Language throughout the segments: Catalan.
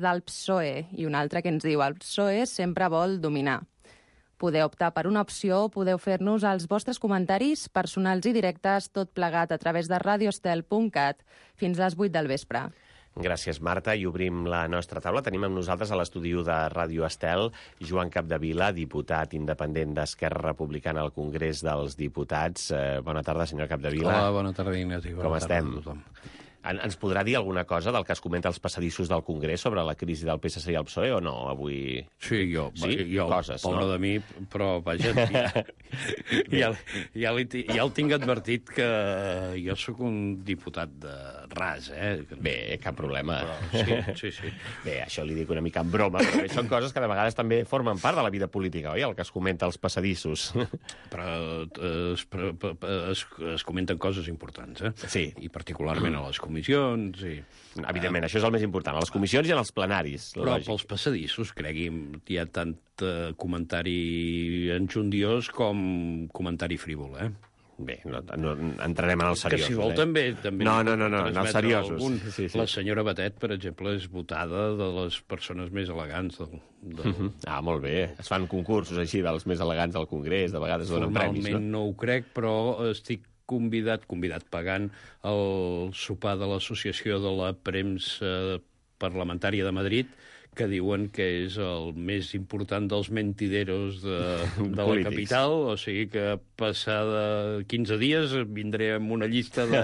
del PSOE i un altre que ens diu el PSOE sempre vol dominar. Podeu optar per una opció, podeu fer-nos els vostres comentaris personals i directes, tot plegat a través de radioestel.cat fins a les 8 del vespre. Gràcies, Marta. I obrim la nostra taula. Tenim amb nosaltres a l'estudi de Ràdio Estel Joan Capdevila, diputat independent d'Esquerra Republicana al Congrés dels Diputats. Bona tarda, senyor Capdevila. Hola, bona tarda, Ignasi. Com estem? Ens podrà dir alguna cosa del que es comenta als passadissos del Congrés sobre la crisi del PSC i el PSOE o no, avui? Sí, jo coses, pobre de mi, però vaja, ja el tinc advertit que jo sóc un diputat de ras, Bé, cap problema. Però, sí. Bé, això li dic una mica en broma, però són coses que de vegades també formen part de la vida política, oi?, el que es comenta als passadissos. Però es comenten coses importants, Sí. I particularment a les comissions i... Evidentment, això és el més important, a les comissions i en els plenaris. Però pels passadissos, cregui'm, hi ha tant comentari enjundiós com comentari frívol, Bé, no entrarem en el seriós. Que si vol també No, en els seriosos. Sí. La senyora Batet, per exemple, és votada de les persones més elegants del... Ah, molt bé. Es fan concursos així dels més elegants del Congrés, de vegades donen premis, no? Formalment no ho crec, però estic convidat pagant el sopar de l'Associació de la Premsa Parlamentària de Madrid, que diuen que és el més important dels mentideros de la capital, o sigui que passada 15 dies vindré amb una llista de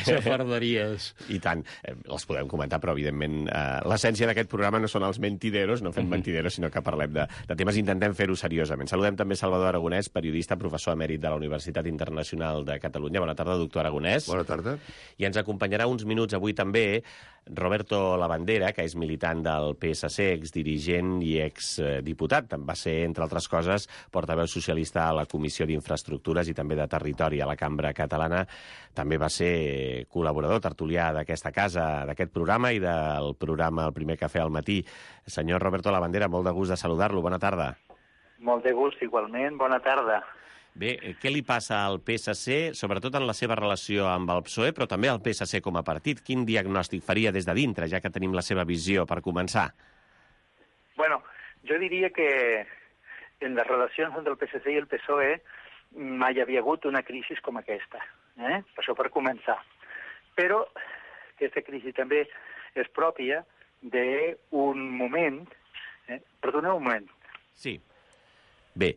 xafarderies. I tant, les podem comentar, però evidentment l'essència d'aquest programa no són els mentideros, no fem mentideros, sinó que parlem de temes i intentem fer-ho seriosament. Saludem també Salvador Aragonès, periodista, professor emèrit de la Universitat Internacional de Catalunya. Bona tarda, doctor Aragonès. Bona tarda. I ens acompanyarà uns minuts avui també Roberto Labandera, que és militant del PSC, exdirigent i exdiputat. Va ser, entre altres coses, portaveu socialista a la Comissió d'Infraestructures i també de Territori a la Cambra Catalana. També va ser col·laborador tertulià d'aquesta casa, d'aquest programa i del programa El primer cafè al matí. Senyor Roberto Labandera, molt de gust de saludar-lo. Bona tarda. Molt de gust, igualment. Bona tarda. Bé, què li passa al PSC, sobretot en la seva relació amb el PSOE, però també al PSC com a partit? Quin diagnòstic faria des de dintre, ja que tenim la seva visió per començar? Bueno, jo diria que en les relacions entre el PSC i el PSOE mai havia hagut una crisi com aquesta, per això per començar. Però aquesta crisi també és pròpia d'un moment... Perdoneu un moment. Sí. Bé.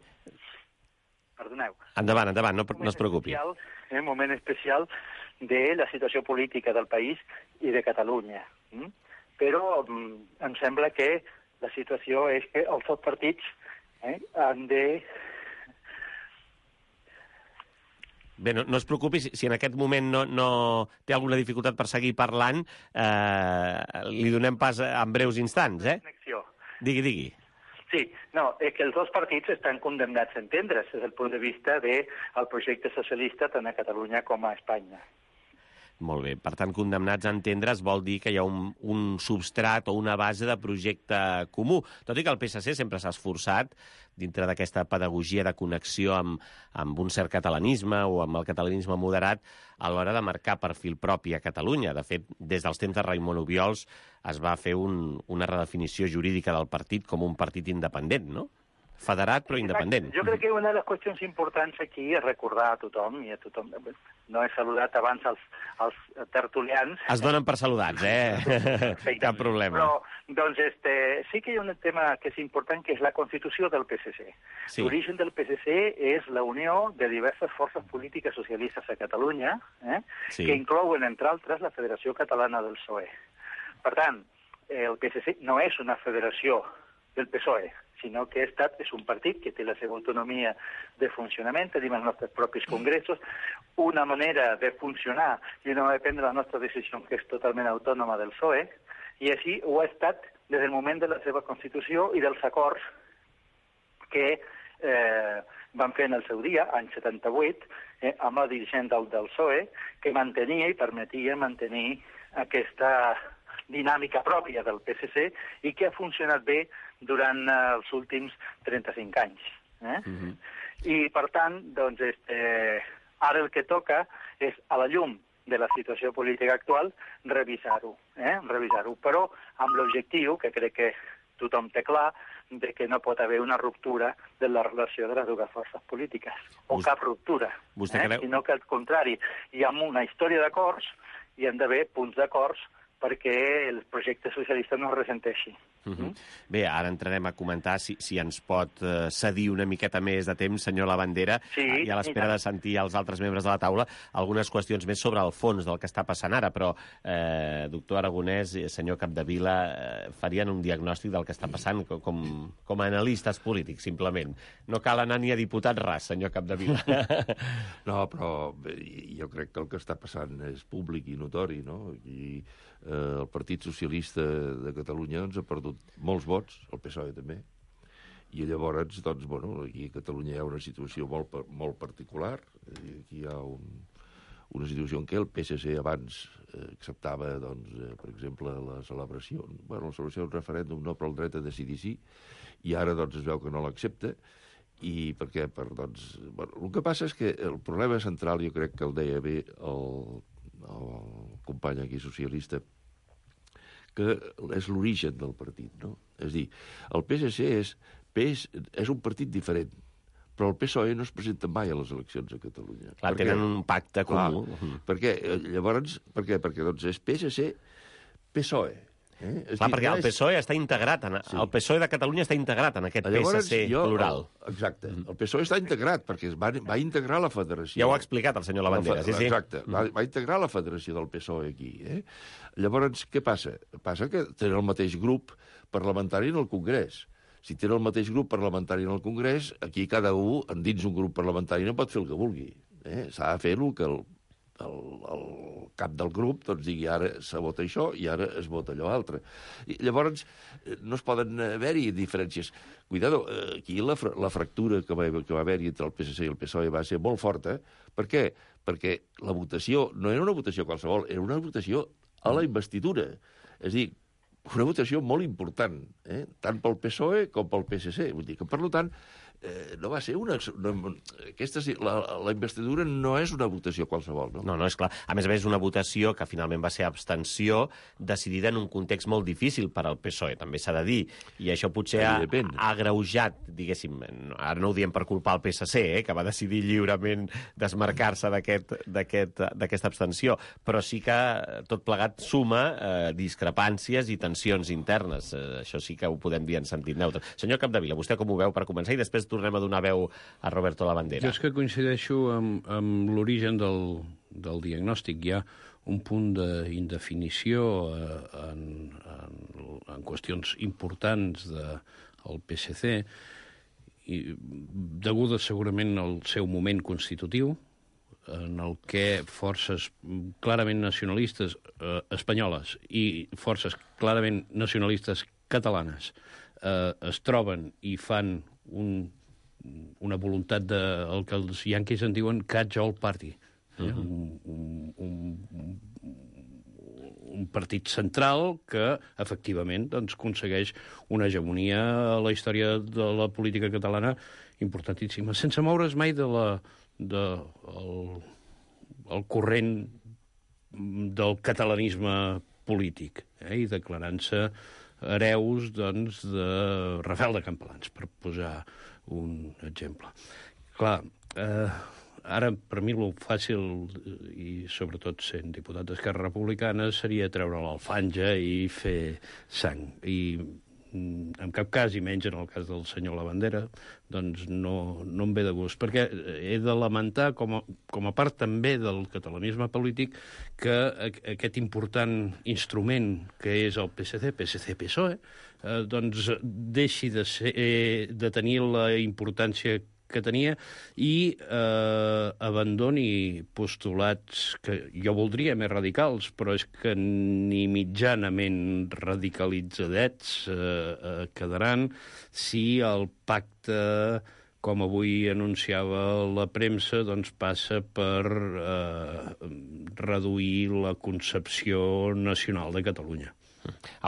Perdoneu. Endavant, no es preocupi. Un moment especial de la situació política del país i de Catalunya. Però em sembla que la situació és que els dos partits han de... Bé, no es preocupi, si en aquest moment no té alguna dificultat per seguir parlant, li donem pas en breus instants, Digui. Sí, no, és que els dos partits estan condemnats a entendre's des del punt de vista del projecte socialista tant a Catalunya com a Espanya. Molt bé. Per tant, condemnats a entendre's vol dir que hi ha un substrat o una base de projecte comú. Tot i que el PSC sempre s'ha esforçat, dintre d'aquesta pedagogia de connexió amb un cert catalanisme o amb el catalanisme moderat, a l'hora de marcar perfil propi a Catalunya. De fet, des dels temps de Raimon Obiols es va fer una redefinició jurídica del partit com un partit independent, no? Federat però independent. Jo crec que una de les qüestions importants aquí és recordar a tothom, i a tothom... No he saludat abans els tertulians. Es donen per saludats, Cap problema. Però, doncs, sí que hi ha un tema que és important, que és la Constitució del PSC. Sí. L'origen del PSC és la unió de diverses forces polítiques socialistes a Catalunya, sí, que inclouen, entre altres, la Federació Catalana del PSOE. Per tant, el PSC no és una federació del PSOE, sinó que és un partit que té la seva autonomia de funcionament, tenim els nostres propis congressos, una manera de funcionar i una manera de prendre la nostra decisió que és totalment autònoma del PSOE, i així ho ha estat des del moment de la seva Constitució i dels acords que van fer en el seu dia, any 78, amb la dirigent del PSOE, que mantenia i permetia mantenir aquesta dinàmica pròpia del PSC i que ha funcionat bé durant els últims 35 anys. I, per tant, doncs, ara el que toca és, a la llum de la situació política actual, revisar-ho. Però amb l'objectiu, que crec que tothom té clar, de que no pot haver una ruptura de la relació de les dues forces polítiques, o cap ruptura, sinó que al contrari, hi ha una història d'acords i han d'haver punts d'acords perquè el projecte socialista no es ressenteixi. Bé, ara entrarem a comentar si ens pot cedir una miqueta més de temps, senyor Labandera, i a l'espera de sentir els altres membres de la taula algunes qüestions més sobre el fons del que està passant ara, però, doctor Aragonès, senyor Capdevila, farien un diagnòstic del que està passant com a analistes polítics, simplement. No cal anar ni a diputat ras, senyor Capdevila. No, però jo crec que el que està passant és públic i notori, no? I el Partit Socialista de Catalunya ha perdut molts vots, el PSOE també, i llavors, doncs, bueno, aquí a Catalunya hi ha una situació molt particular. Aquí hi ha una situació en què el PSC abans acceptava, doncs, per exemple, la celebració d'un referèndum no per al dret a decidir sí, i ara, doncs, es veu que no l'accepta. I per què? El que passa és que el problema central, jo crec que el deia bé el company aquí socialista, que és l'origen del partit, no? És a dir, el PSC és un partit diferent, però el PSOE no es presenta mai a les eleccions a Catalunya. Clar, tenen un pacte comú. Perquè, llavors, perquè doncs és PSC-PSOE. Clar, perquè el PSOE està integrat, el PSOE de Catalunya està integrat en aquest PSC plural. Exacte. El PSOE està integrat, perquè va integrar la federació. Ja ho ha explicat el senyor Labandera, sí. Exacte. Va integrar la federació del PSOE aquí. Llavors, què passa? Passa que tenen el mateix grup parlamentari en el Congrés. Si tenen el mateix grup parlamentari en el Congrés, aquí cada un, dins un grup parlamentari, no pot fer el que vulgui. S'ha de fer el que el cap del grup doncs digui ara se vota això i ara es vota allò altre. I llavors no es poden haver-hi diferències. Cuidado, aquí la fractura que va haver-hi entre el PSC i el PSOE va ser molt forta. Per què? Perquè la votació no era una votació qualsevol, era una votació a la investidura. És a dir, una votació molt important, tant pel PSOE com pel PSC. Vull dir que, per tant, no va ser la investidura no és una votació qualsevol, no? No, és clar. A més, és una votació que finalment va ser abstenció decidida en un context molt difícil per al PSOE, també s'ha de dir. I això potser ha agreujat, diguéssim, ara no ho diem per culpar el PSC, que va decidir lliurement desmarcar-se d'aquesta abstenció, però sí que tot plegat suma discrepàncies i tensions internes. Això sí que ho podem dir en sentit neutre. Senyor Capdevila, vostè com ho veu per començar? I després tornem a donar veu a Roberto Labandera. Jo és que coincideixo amb l'origen del diagnòstic. Hi ha un punt d'indefinició en qüestions importants del PSC, deguda segurament al seu moment constitutiu, en el que forces clarament nacionalistes espanyoles i forces clarament nacionalistes catalanes es troben i fan una voluntat el que els yanquis en diuen catch-all party. Un partit central que, efectivament, doncs, aconsegueix una hegemonia a la història de la política catalana importantíssima, sense moure's mai del corrent del catalanisme polític, i declarant-se hereus, doncs, de Rafael de Campalans, per posar un exemple. Clar, ara, per mi, el fàcil, i sobretot sent diputat d'Esquerra Republicana, seria treure l'alfanja i fer sang. I en cap cas, i menys en el cas del senyor Labandera, doncs no em ve de gust, perquè he de lamentar, com a part també del catalanisme polític, que aquest important instrument que és el PSC-PSOE, doncs deixi de tenir la importància que tenia i abandoni postulats que jo voldria més radicals, però és que ni mitjanament radicalitzadets quedaran si el pacte, com avui anunciava la premsa, doncs passa per reduir la concepció nacional de Catalunya.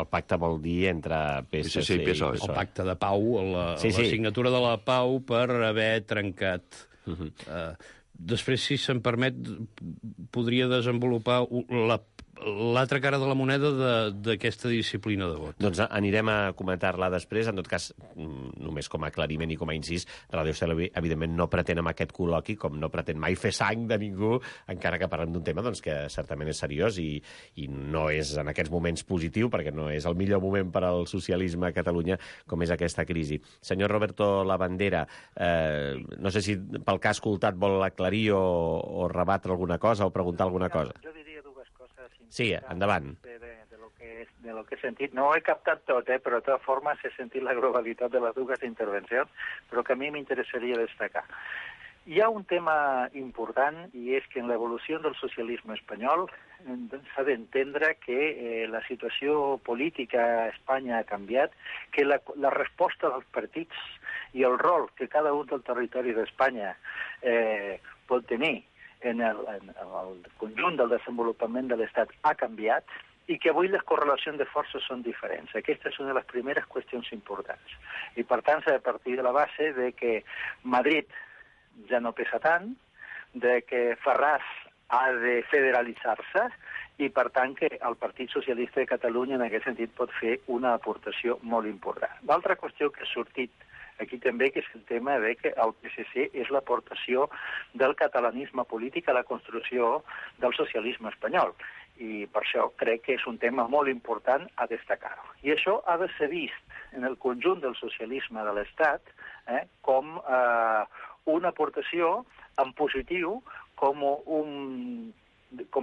El pacte vol dir entre PSC i PSOE. El pacte de pau, la signatura de la pau per haver trencat. després, si se'm permet, podria desenvolupar l'altra cara de la moneda d'aquesta disciplina de vot. Doncs anirem a comentar-la després. En tot cas, només com a aclariment i com a incís, Radio Estel, evidentment, no pretén amb aquest col·loqui, com no pretén mai fer sang de ningú, encara que parlem d'un tema doncs, que certament és seriós i no és en aquests moments positiu, perquè no és el millor moment per al socialisme a Catalunya, com és aquesta crisi. Senyor Roberto Labandera, no sé si pel que ha escoltat vol aclarir o rebatre alguna cosa o preguntar alguna cosa. Jo diria dues coses. Sí, endavant. De lo que he sentit. No he captat tot, però de totes formes he sentit la globalitat de les dues intervencions, però que a mi m'interessaria destacar. Hi ha un tema important, i és que en l'evolució del socialisme espanyol s'ha d'entendre que la situació política a Espanya ha canviat, que la resposta dels partits i el rol que cada un del territori d'Espanya pot tenir en el conjunt del desenvolupament de l'Estat ha canviat i que avui les correlacions de forces són diferents. Aquesta és una de les primeres qüestions importants. I, per tant, s'ha de partir de la base de que Madrid ja no pesa tant, de que Ferraz ha de federalitzar-se i, per tant, que el Partit Socialista de Catalunya en aquest sentit pot fer una aportació molt important. L'altra qüestió que ha sortit aquí també, que és el tema de que el PSC és l'aportació del catalanisme polític a la construcció del socialisme espanyol. I per això crec que és un tema molt important a destacar. I això ha de ser vist en el conjunt del socialisme de l'Estat com una aportació en positiu, com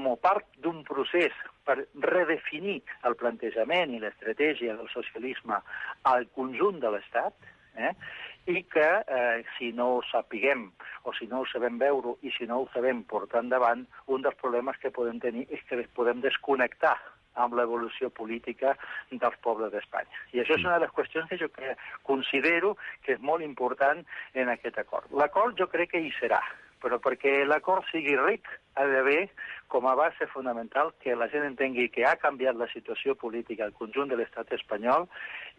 a part d'un procés per redefinir el plantejament i l'estratègia del socialisme al conjunt de l'Estat, i que si no ho sapiguem o si no ho sabem veure i si no ho sabem portar endavant, un dels problemes que podem tenir és que podem desconnectar amb l'evolució política dels pobles d'Espanya. I això és una de les qüestions que jo considero que és molt important en aquest acord. L'acord jo crec que hi serà, però perquè l'acord sigui ric ha d'haver com a base fonamental que la gent entengui que ha canviat la situació política al conjunt de l'estat espanyol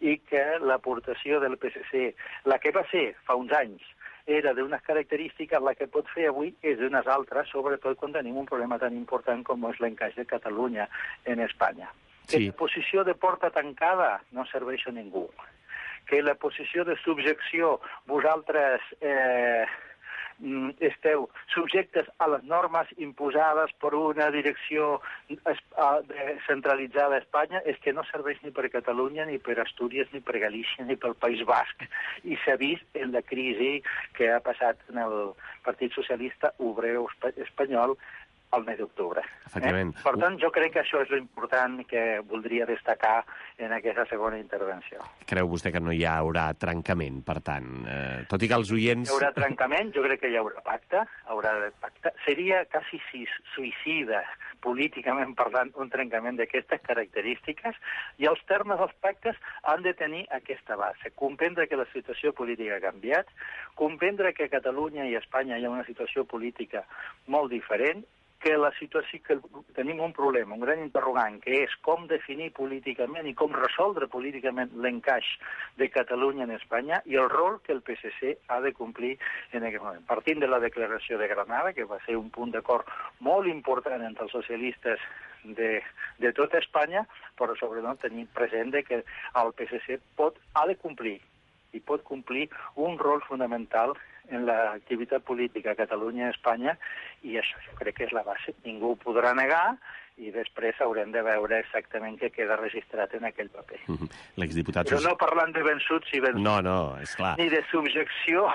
i que l'aportació del PSC, la que va ser fa uns anys, era d'unes característiques, la que pot fer avui és d'unes altres, sobretot quan tenim un problema tan important com és l'encaix de Catalunya en Espanya. Sí. Que la posició de porta tancada no serveix a ningú. Que la posició de subjecció, vosaltres esteu subjectes a les normes imposades per una direcció centralitzada a Espanya, és que no serveix ni per Catalunya, ni per Astúries, ni per Galícia, ni pel País Basc. I s'ha vist en la crisi que ha passat en el Partit Socialista Obrer Espanyol al mes d'octubre. Per tant, jo crec que això és l'important que voldria destacar en aquesta segona intervenció. Creu vostè que no hi haurà trencament, per tant? Tot i que els oients... Hi haurà trencament, jo crec que hi haurà pacte. Seria quasi suïcida, políticament parlant, un trencament d'aquestes característiques, i els termes dels pactes han de tenir aquesta base. Comprendre que la situació política ha canviat, comprendre que a Catalunya i a Espanya hi ha una situació política molt diferent, que la situació que tenim un problema, un gran interrogant, que és com definir políticament i com resoldre políticament l'encaix de Catalunya en Espanya i el rol que el PSC ha de complir en aquest moment. Partint de la declaració de Granada, que va ser un punt d'acord molt important entre els socialistes de tota Espanya, però sobretot tenir present que el PSC ha de complir i pot complir un rol fonamental en l'activitat política a Catalunya i Espanya, i això jo crec que és la base. Ningú ho podrà negar i després haurem de veure exactament què queda registrat en aquell paper. L'exdiputat... Però no parlant de vençuts i vençuts. No, és clar. Ni de subjecció,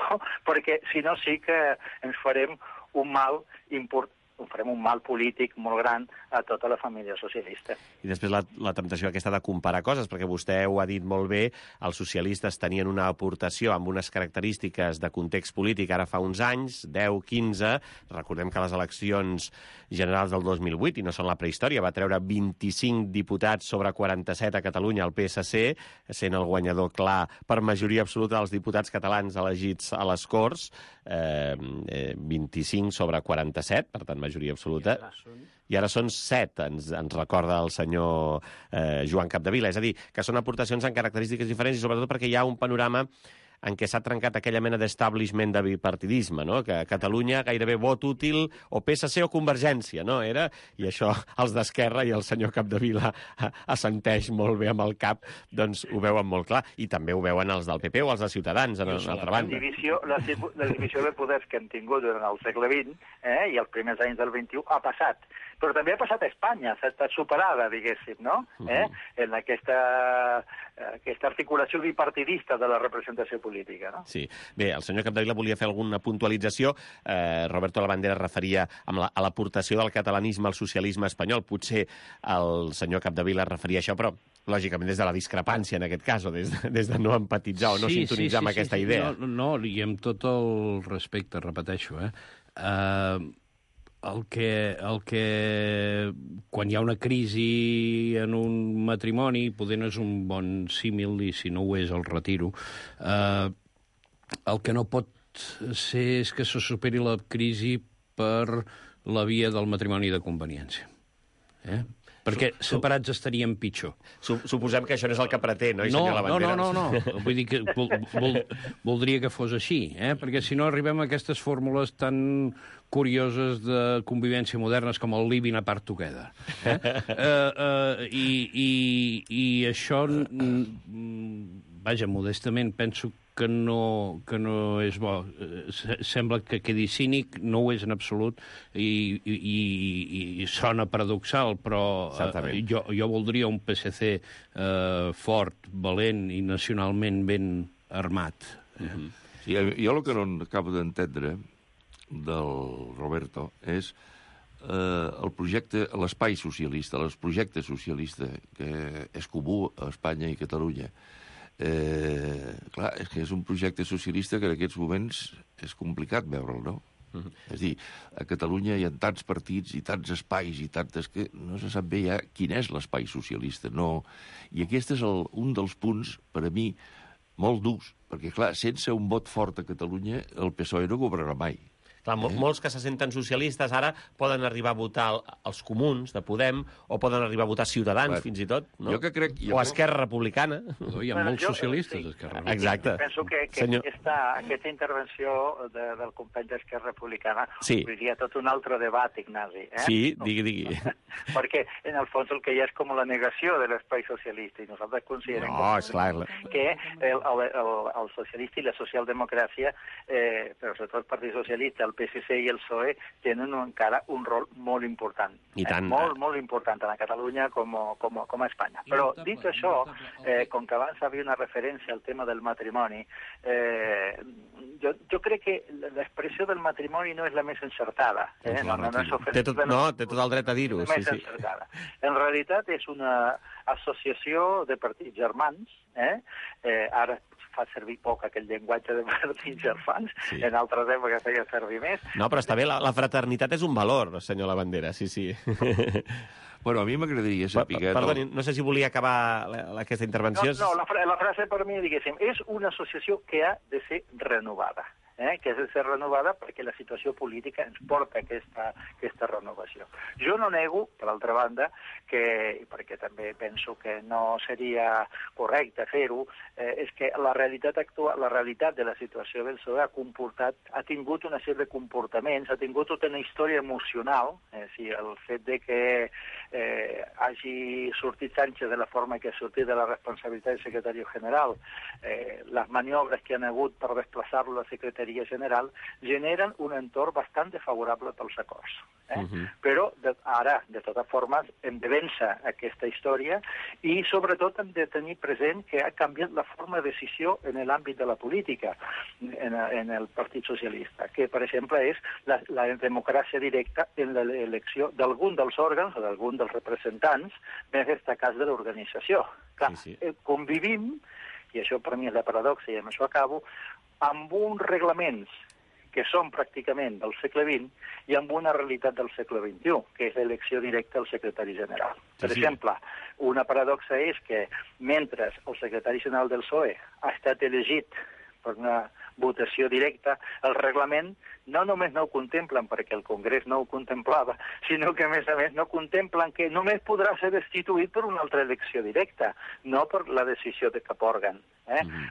perquè si no sí que ens farem un mal important, farem un mal polític molt gran a tota la família socialista. I després la temptació aquesta de comparar coses, perquè vostè ho ha dit molt bé, els socialistes tenien una aportació amb unes característiques de context polític ara fa uns anys, 10, 15, recordem que les eleccions generals del 2008, i no són la prehistòria, va treure 25 diputats sobre 47 a Catalunya al PSC, sent el guanyador clar per majoria absoluta dels diputats catalans elegits a les Corts, 25 sobre 47, per tant, majoria absoluta. I ara són 7, ens recorda el senyor Joan Capdevila. És a dir, que són aportacions en característiques diferents i sobretot perquè hi ha un panorama en què s'ha trencat aquella mena d'establishment de bipartidisme, no? Que a Catalunya gairebé vot útil o PSC o Convergència, no? Era, i això els d'Esquerra i el senyor Capdevila assenteix molt bé amb el cap, doncs ho veuen molt clar. I també ho veuen els del PP o els de Ciutadans, en l'altra banda. La divisió de poders que hem tingut durant el segle XX i els primers anys del XXI ha passat. Però també ha passat a Espanya, s'ha estat superada, diguéssim, no? En aquesta articulació bipartidista de la representació política, no? Sí. Bé, el senyor Capdevila volia fer alguna puntualització. Roberto Labandera referia a l'aportació del catalanisme al socialisme espanyol. Potser el senyor Capdevila referia a això, però lògicament des de la discrepància, en aquest cas, o des de no empatitzar o no sintonitzar amb aquesta idea. No, i amb tot el respecte, repeteixo, el que quan hi ha una crisi en un matrimoni, poder no és un bon símil, i si no ho és el retiro, el que no pot ser és que se superi la crisi per la via del matrimoni de conveniència. Perquè separats estaríem pitjor. Suposem que això no és el que pretén, oi, senyor Labandera? No. Vull dir que voldria que fos així, perquè si no arribem a aquestes fórmules tan curioses de convivència modernes com el living apart together. I això, vaja, modestament, penso que no és bo. Sembla que quedi cínic, no ho és en absolut, i sona paradoxal, però jo voldria un PSC fort, valent i nacionalment ben armat. Sí, jo el que no acabo d'entendre del Roberto és el projecte, l'espai socialista, el projecte socialista que és comú a Espanya i Catalunya. Clar, és que és un projecte socialista que en aquests moments és complicat veure'l, no? És a dir, a Catalunya hi ha tants partits i tants espais i tantes que no se sap bé ja quin és l'espai socialista, no. I aquest és un dels punts, per a mi, molt durs, perquè, clar, sense un vot fort a Catalunya, el PSOE no governarà mai. Clar, molts que se senten socialistes ara poden arribar a votar els comuns de Podem o poden arribar a votar Ciutadans, fins i tot, no? O Esquerra Republicana. Hi ha molts socialistes a Esquerra Republicana. Exacte. Penso que aquesta intervenció del company d'Esquerra Republicana obrirà tot un altre debat, Ignasi. Sí, digui. Perquè, en el fons, el que hi ha és com la negació de l'espai socialista, i nosaltres considerem que el socialista i la socialdemocràcia, però sobretot el Partit Socialista, el PSC i el PSOE tenen encara un rol molt important. I tant. Molt important, tant a Catalunya com a Espanya. Però, dit això, com que abans havia una referència al tema del matrimoni, jo crec que l'expressió del matrimoni no és la més encertada. Té tot el dret a dir-ho. En realitat és una associació de partits germans. Ara fa servir poc aquell llenguatge de partits germans, en altres èpoques feia servir més. No, però està bé, la fraternitat és un valor, senyor Labandera, sí. Bueno, a mi m'agradaria saber... Perdoni, no sé si volia acabar aquesta intervenció. No, la frase per mi, diguéssim, és una associació que ha de ser renovada. Que ha de ser renovada perquè la situació política ens porta a aquesta renovació. Jo no nego, per altra banda, perquè també penso que no seria correcte fer-ho, és que la realitat actual, la realitat de la situació del PSOE ha tingut una sèrie de comportaments, ha tingut tota una història emocional, el fet de que hagi sortit Sánchez de la forma que ha sortit de la responsabilitat del secretari general, les maniobres que han hagut per desplaçar-lo a la secretaria general, generen un entorn bastant favorable pels acords. Però ara, de totes formes, hem de vèncer aquesta història i, sobretot, hem de tenir present que ha canviat la forma de decisió en l'àmbit de la política en el Partit Socialista, que, per exemple, és la democràcia directa en l'elecció d'algun dels òrgans o d'algun dels representants més destacats de l'organització. Clar, convivim, i això per mi és la paradoxa i amb això acabo, amb uns reglaments que són pràcticament del segle XX i amb una realitat del segle XXI, que és l'elecció directa del secretari general. Per exemple, una paradoxa és que mentre el secretari general del PSOE ha estat elegit per una votació directa. El reglament no només no ho contemplen perquè el Congrés no ho contemplava, sinó que, a més, no contemplen que només podrà ser destituït per una altra elecció directa, no per la decisió de cap òrgan.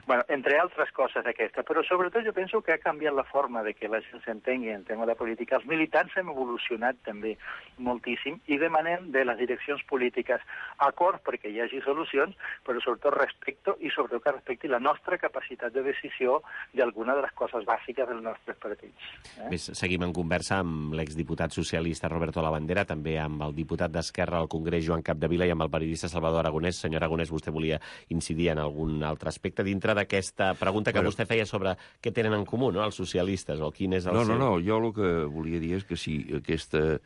Bueno, entre altres coses aquestes, però sobretot jo penso que ha canviat la forma de que la gent s'entengui en tema de política. Els militants hem evolucionat també moltíssim i demanem de les direccions polítiques acords perquè hi hagi solucions, però sobretot respecte i sobretot que respecti la nostra capacitat de decisió d'alguna de les coses bàsiques dels nostres partits. Bé, seguim en conversa amb l'exdiputat socialista Roberto Labandera, també amb el diputat d'Esquerra al Congrés Joan Capdevila i amb el periodista Salvador Aragonès. Senyor Aragonès, vostè volia incidir en algun altre aspecte dintre d'aquesta pregunta que vostè feia sobre què tenen en comú, no?, els socialistes, o quin és el seu... No, jo el que volia dir és que si aquesta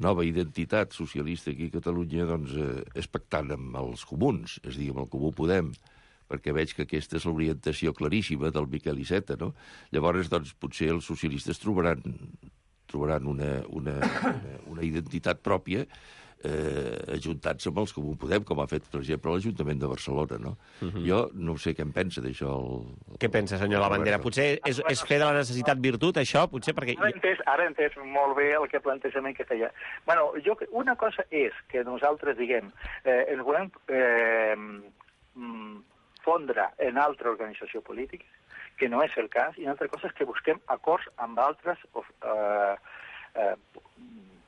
nova identitat socialista aquí a Catalunya doncs, és pactant amb els comuns, és a dir, amb el Comú Podem, perquè veig que aquesta és l'orientació claríssima del Miquel Iceta, no? Llavors, doncs, potser els socialistes trobaran una identitat pròpia ajuntats amb els Comú Podem, com ha fet, per exemple, l'Ajuntament de Barcelona, no? Jo no sé què en pensa d'això. Què pensa, senyor Labandera? Potser és fer de la necessitat virtut, això? Potser perquè... Ara he entès molt bé el plantejament que feia. Bueno, una cosa és que nosaltres, diguem, ens volem fondre en altra organització política, que no és el cas, i una altra cosa és que busquem acords amb altres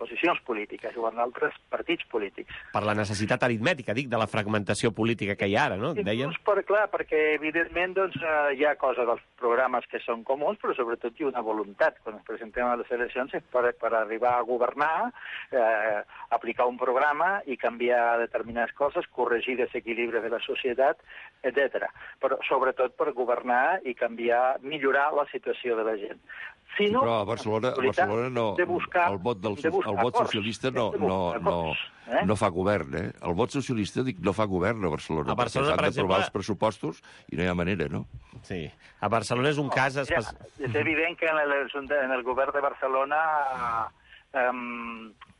posicions polítiques o amb altres partits polítics. Per la necessitat aritmètica, dic, de la fragmentació política que hi ha ara, no? Deien? Clar, perquè evidentment doncs, hi ha coses dels programes que són comuns, però sobretot hi ha una voluntat. Quan ens presentem a les eleccions és per arribar a governar, aplicar un programa i canviar determinades coses, corregir desequilibris de la societat, etc. Però sobretot per governar i canviar, millorar la situació de la gent. Però a Barcelona no, el vot socialista no fa govern, eh? El vot socialista, dic, no fa govern a Barcelona. A Barcelona, per exemple... S'han d'aprovar els pressupostos i no hi ha manera, no? Sí. A Barcelona és un cas... És evident que en el govern de Barcelona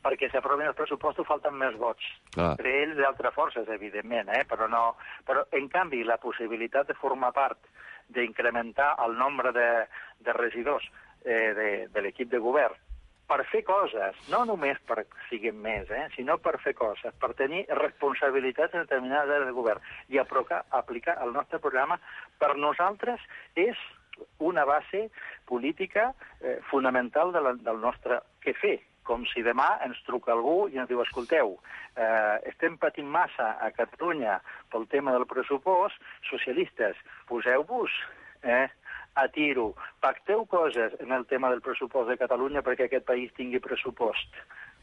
perquè s'aprovin els pressupostos falten més vots. Entre ells d'altres forces, evidentment, però en canvi la possibilitat de formar part, d'incrementar el nombre de regidors de l'equip de govern per fer coses, no només per siguin més, sinó per fer coses, per tenir responsabilitats determinades del govern i aplicar el nostre programa, per nosaltres és una base política fonamental del nostre què fer. Com si demà ens truca algú i ens diu, escolteu, estem patint massa a Catalunya pel tema del pressupost, socialistes, poseu-vos a tiro, pacteu coses en el tema del pressupost de Catalunya perquè aquest país tingui pressupost.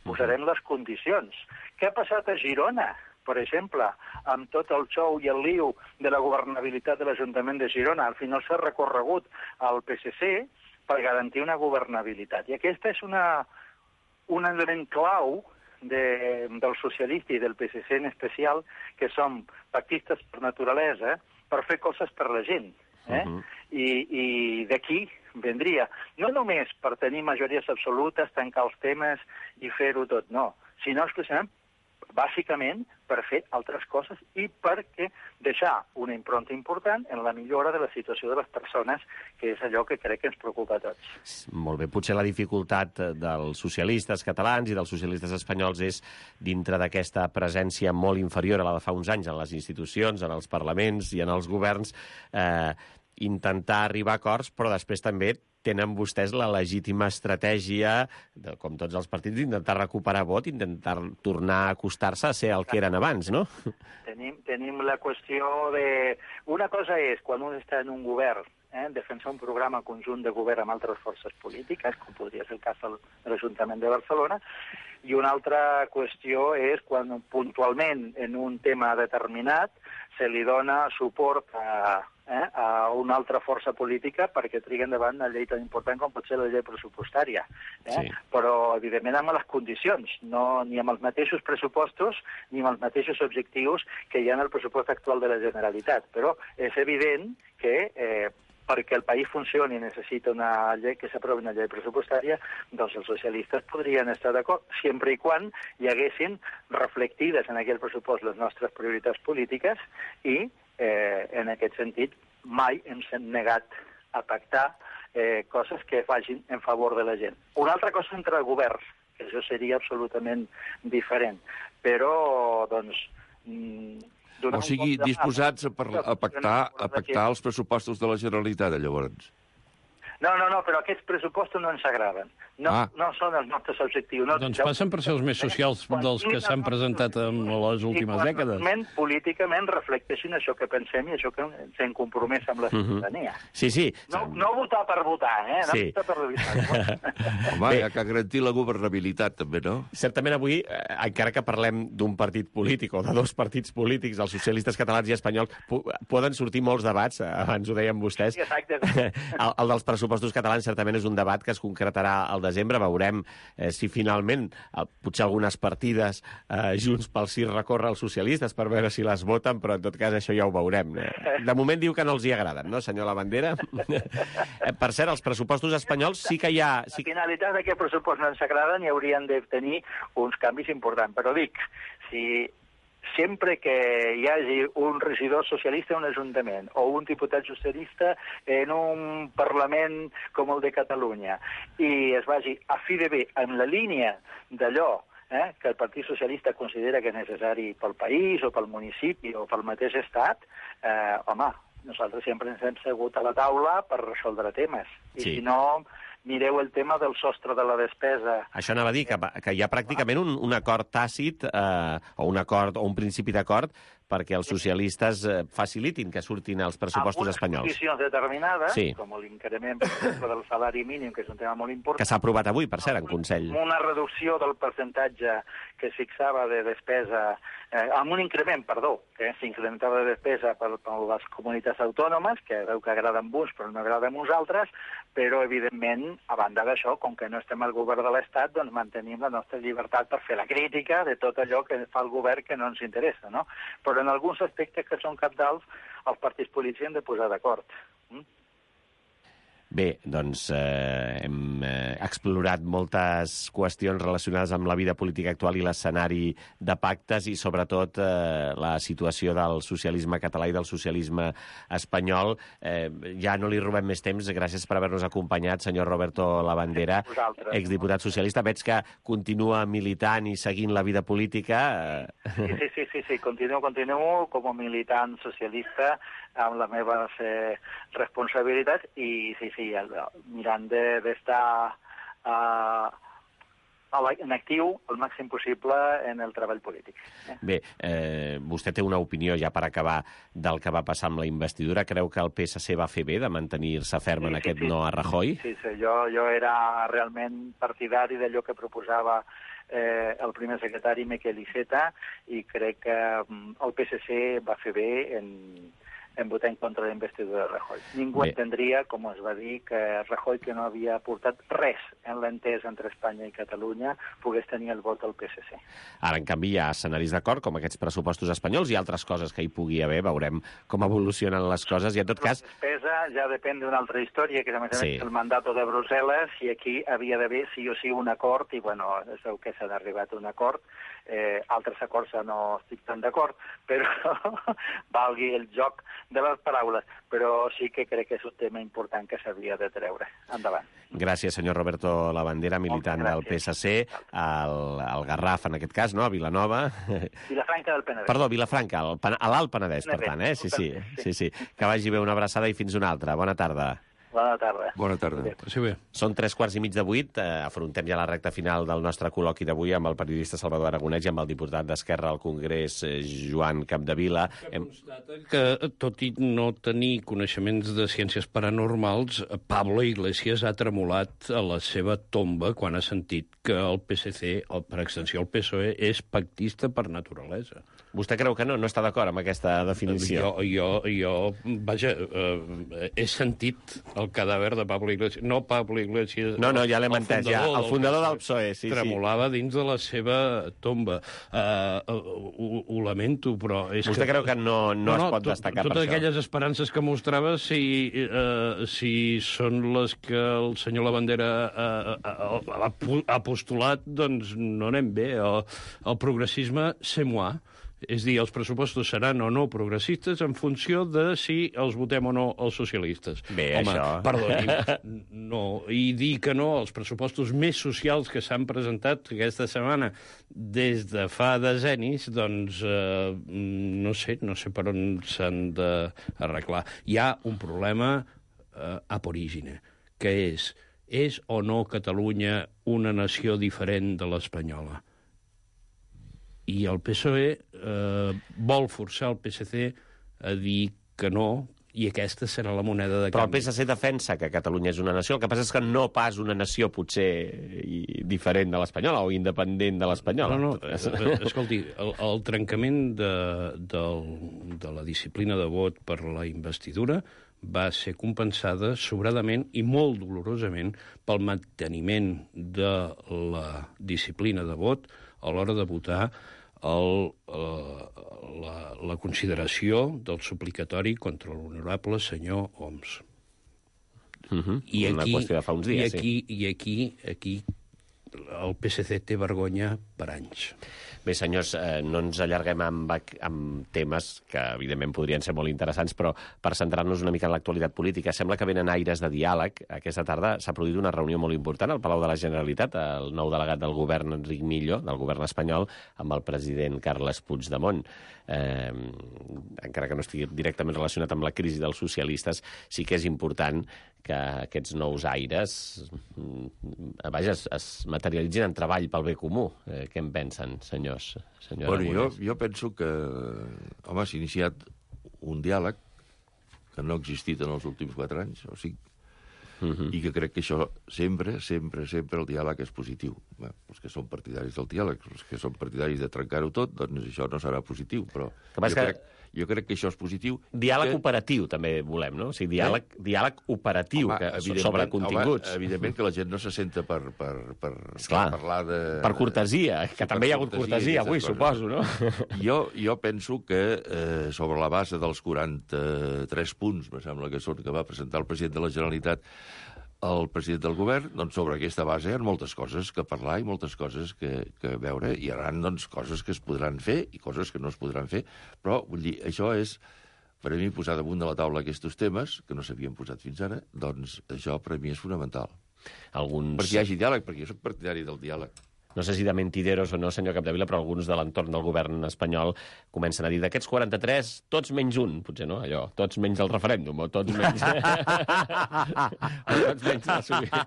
Posarem les condicions. Què ha passat a Girona, per exemple, amb tot el xou i el liu de la governabilitat de l'Ajuntament de Girona? Al final s'ha recorregut al PSC per garantir una governabilitat. I aquesta és un element clau del socialista i del PSC en especial, que som pactistes per naturalesa, per fer coses per la gent. I d'aquí vendria, no només per tenir majories absolutes, tancar els temes i fer-ho tot, no, sinó exclusivament, bàsicament, per fer altres coses i perquè deixar una impronta important en la millora de la situació de les persones, que és allò que crec que ens preocupa a tots. Molt bé, potser la dificultat dels socialistes catalans i dels socialistes espanyols és, dintre d'aquesta presència molt inferior a la de fa uns anys en les institucions, en els parlaments i en els governs, intentar arribar a acords, però després també tenen vostès la legítima estratègia, com tots els partits, d'intentar recuperar vot, intentar tornar a acostar-se a ser el que eren abans, no? Tenim la qüestió de... Una cosa és, quan un està en un govern, defensar un programa conjunt de govern amb altres forces polítiques, com podria ser el cas de l'Ajuntament de Barcelona, i una altra qüestió és quan puntualment en un tema determinat se li dona suport a una altra força política perquè trigui endavant una llei tan important com pot ser la llei pressupostària. Sí. Però, evidentment, amb les condicions, no ni amb els mateixos pressupostos ni amb els mateixos objectius que hi ha en el pressupost actual de la Generalitat. Però és evident que perquè el país funcioni i necessita una llei, que s'aprovi una llei pressupostària, doncs els socialistes podrien estar d'acord, sempre i quan hi haguessin reflectides en aquell pressupost les nostres prioritats polítiques i, en aquest sentit, mai ens hem negat a pactar coses que vagin en favor de la gent. Una altra cosa entre governs, que això seria absolutament diferent, però, doncs... O sigui, disposats a pactar els pressupostos de la Generalitat, llavors. No, però aquests pressupostos no ens agraden. No són els nostres objectius. Doncs passen per ser els més socials dels que s'han presentat en les últimes dècades. Políticament reflecteixin això que pensem i això que ens hem compromès amb la ciutadania. Sí. No votar per votar, No votar per votar. Home, hi ha que garantir la governabilitat, també, no? Certament avui, encara que parlem d'un partit polític o de dos partits polítics, els socialistes catalans i espanyols, poden sortir molts debats, abans ho deien vostès. Sí, exacte. El dels pressupostos catalans certament és un debat que es concretarà al desembre. Veurem si finalment potser algunes partides Junts pel Sí recorre als socialistes per veure si les voten, però en tot cas això ja ho veurem. De moment diu que no els hi agraden, no, senyor Labandera? Per cert, els pressupostos espanyols sí que hi ha... La finalitat d'aquest pressupost no ens agraden i haurien de tenir uns canvis importants, però dic, si sempre que hi hagi un regidor socialista en un ajuntament o un diputat socialista en un Parlament com el de Catalunya i es vagi a fi de bé en la línia d'allò que el Partit Socialista considera que és necessari pel país o pel municipi o pel mateix estat, home, nosaltres sempre ens hem segut a la taula per resoldre temes. I si no, mireu el tema del sostre de la despesa. Això anava a dir, que hi ha pràcticament un acord tàcit, o un acord o un principi d'acord, perquè els socialistes facilitin que surtin els pressupostos espanyols. Amb unes condicions determinades, com l'increment, per exemple, del salari mínim, que és un tema molt important. Que s'ha aprovat avui, per cert, en Consell. Una reducció del percentatge que es fixava de despesa, amb un increment, que s'incrementava de despesa per les comunitats autònomes, que veu que agrada amb uns però no agrada amb uns altres, però, evidentment, a banda d'això, com que no estem al govern de l'Estat, doncs mantenim la nostra llibertat per fer la crítica de tot allò que fa el govern que no ens interessa, no? Però en alguns aspectes que són cabdals, els partits polítics han de posar d'acord. Bé, doncs hem explorat moltes qüestions relacionades amb la vida política actual i l'escenari de pactes i, sobretot, la situació del socialisme català i del socialisme espanyol. Ja no li robem més temps. Gràcies per haver-nos acompanyat, senyor Roberto Labandera, exdiputat socialista. Veig que continua militant i seguint la vida política. Sí, continuo com a militant socialista amb la meva responsabilitat i mirant d'estar en actiu el màxim possible en el treball polític. Bé, vostè té una opinió, ja per acabar, del que va passar amb la investidura. Creu que el PSC va fer bé de mantenir-se ferm en aquest no a Rajoy? Sí, jo era realment partidari d'allò que proposava el primer secretari Miquel Iceta i crec que el PSC va fer bé en votar en contra de la investidura de Rajoy. Ningú entendria, com es va dir, que Rajoy, que no havia aportat res en l'entesa entre Espanya i Catalunya, pogués tenir el vot del PSC. Ara, en canvi, hi ha escenaris d'acord, com aquests pressupostos espanyols i altres coses que hi pugui haver. Veurem com evolucionen les coses i, en tot cas... La despesa ja depèn d'una altra història, que és el mandat de Brussel·les, i aquí havia d'haver sí o sí un acord, i, bueno, es veu que s'ha arribat a un acord. Altres acords no estic tan d'acord, però valgui el joc de les paraules, però sí que crec que és un tema important que s'havia de treure. Endavant. Gràcies, senyor Roberto Labandera, militant del PSC, al Garraf, en aquest cas, no?, a Vilanova. Vilafranca del Penedès. Perdó, Vilafranca, a l'Alt Penedès, per tant, Sí. Que vagi bé, una abraçada i fins una altra. Bona tarda. Bona tarda. Bona tarda. Sí, bé. Són 7:15. Afrontem ja la recta final del nostre col·loqui d'avui amb el periodista Salvador Aragonès i amb el diputat d'Esquerra al Congrés, Joan Capdevila. Constata que, tot i no tenir coneixements de ciències paranormals, Pablo Iglesias ha tremolat a la seva tomba quan ha sentit que el PSC, o per extensió el PSOE, és pactista per naturalesa. Vostè creu que no? No està d'acord amb aquesta definició? Jo vaja, he sentit el cadàver de Pablo Iglesias. No Pablo Iglesias... No, ja l'hem entès, ja. El fundador del PSOE, sí. Tremolava dins de la seva tomba. Ho lamento, però... Vostè creu que no es pot destacar per això? Totes aquelles esperances que mostrava, si són les que el senyor Labandera ha postulat, doncs no anem bé. El progressisme, c'est moi. És dir, els pressupostos seran o no progressistes en funció de si els votem o no els socialistes. Bé, home, això... Perdoni, no. I dir que no als pressupostos més socials que s'han presentat aquesta setmana des de fa decennis, doncs no sé per on s'han d'arreglar. Hi ha un problema ab origine, que és o no Catalunya una nació diferent de l'espanyola? I el PSOE vol forçar el PSC a dir que no, i aquesta serà la moneda de canvi. Però el PSC defensa que Catalunya és una nació. El que passa és que no pas una nació potser diferent de l'espanyola o independent de l'espanyola. No, escolti, el trencament de la disciplina de vot per la investidura va ser compensada sobradament i molt dolorosament pel manteniment de la disciplina de vot a l'hora de votar la consideració del suplicatori contra l'honorable senyor Homs. Una qüestió de fa uns dies, I aquí el PSC té vergonya per anys. Bé, senyors, no ens allarguem amb temes que, evidentment, podrien ser molt interessants, però per centrar-nos una mica en l'actualitat política, sembla que venen aires de diàleg. Aquesta tarda s'ha produït una reunió molt important al Palau de la Generalitat, el nou delegat del govern, Enric Millo, del govern espanyol, amb el president Carles Puigdemont. Encara que no estigui directament relacionat amb la crisi dels socialistes, sí que és important que aquests nous aires es materialitzin en treball pel bé comú. Què en pensen, senyors? Bueno, jo penso que s'ha iniciat un diàleg que no ha existit en els últims 4 anys, o 5, i que crec que això sempre el diàleg és positiu. Bé, els que són partidaris del diàleg, els que són partidaris de trencar-ho tot, doncs això no serà positiu, però jo crec que això és positiu. Diàleg operatiu també volem, no? O sigui, diàleg operatiu, sobre continguts. Evidentment que la gent no se senta per parlar de... Per cortesia, que també hi ha hagut cortesia avui, suposo, no? Jo penso que sobre la base dels 43 punts, me sembla que són, que va presentar el president de la Generalitat, el president del govern, doncs sobre aquesta base hi ha moltes coses que parlar i moltes coses que veure. Hi haurà doncs, coses que es podran fer i coses que no es podran fer, però vull dir, això és, per a mi, posar damunt de la taula aquests temes, que no s'havien posat fins ara, doncs això per a mi és fonamental. Perquè hi hagi diàleg, perquè jo soc partidari del diàleg. No sé si de mentideros o no, senyor Capdevila, però alguns de l'entorn del govern espanyol comencen a dir d'aquests 43, tots menys un, potser, no? Allò, tots menys el referèndum, o tots menys... tots menys la subida.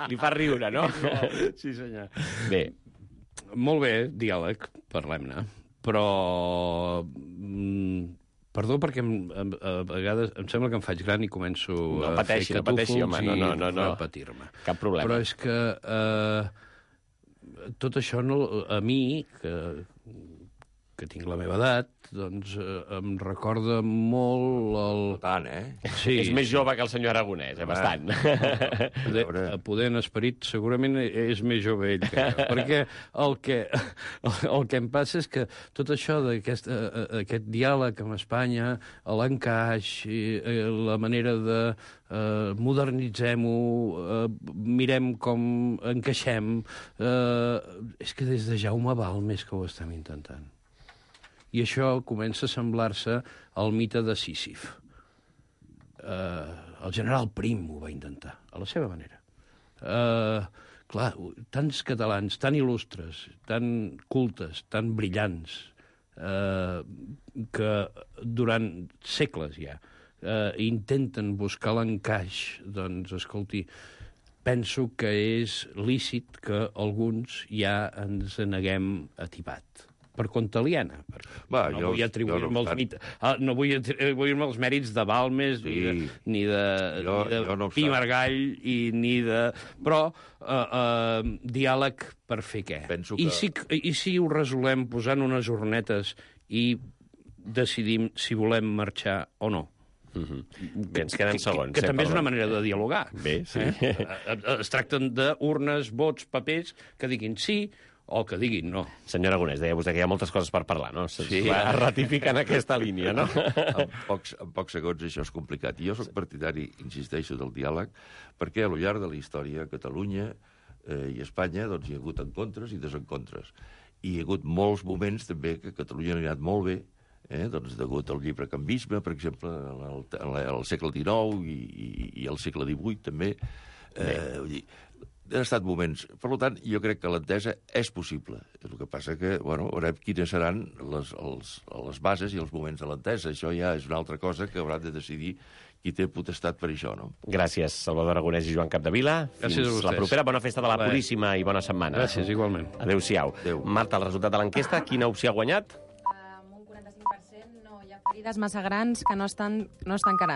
Li fa riure, no? Sí, senyor. Bé. Molt bé, diàleg, parlem-ne, però... Perdó, perquè a vegades em sembla que em faig gran i començo a fer catúfols i repetir-me. Cap problema. Però és que... tot això, a mi, que tinc la meva edat, doncs em recorda molt el... Tant, Sí. És més jove que el senyor Aragonès, bastant. Poder en esperit segurament és més jove ell que jo, perquè el que em passa és que tot això d'aquest diàleg amb Espanya, l'encaix, la manera de modernitzem-ho, mirem com encaixem, és que des de Jaume Balmes que ho estem intentant. I això comença a semblar-se al mite de Sísif. El general Prim ho va intentar, a la seva manera. Clar, tants catalans, tan il·lustres, tan cultes, tan brillants, que durant segles ja intenten buscar l'encaix, doncs, escolti, penso que és lícit que alguns ja ens neguem a tibat. Per compte aliena. No vull atribuir-me els mèrits de Balmes, ni de Pi Margall, ni de... Però diàleg per fer què? I si ho resolem posant unes urnetes i decidim si volem marxar o no? Bé, ens queden segons. Que també és una manera de dialogar. Bé, sí. Es tracten d'urnes, vots, papers, que diguin sí o que diguin no. Senyor Aragonès, deia vostè que hi ha moltes coses per parlar, no? Sí. Es ratifica en aquesta línia, no? En pocs segons això és complicat. I jo soc partidari, insisteixo, del diàleg, perquè a lo llarg de la història a Catalunya i Espanya doncs, hi ha hagut encontres i desencontres. hi ha hagut molts moments també que Catalunya ha anat molt bé, doncs degut al llibrecanvisme, per exemple, al segle XIX i al segle XVIII també. Vull dir, han estat moments. Per tant, jo crec que l'entesa és possible. El que passa que, veurem quines seran les bases i els moments de l'entesa. Això ja és una altra cosa que hauran de decidir qui té potestat per això, no? Gràcies, Salvador Aragonès i Joan Capdevila. Gràcies a vostès. La propera. Bona festa de la Puríssima i bona setmana. Gràcies, igualment. Adéu-siau. Marta, el resultat de l'enquesta, quina opció ha guanyat? Amb un 45% no hi ha ferides massa grans que no estan tancarant.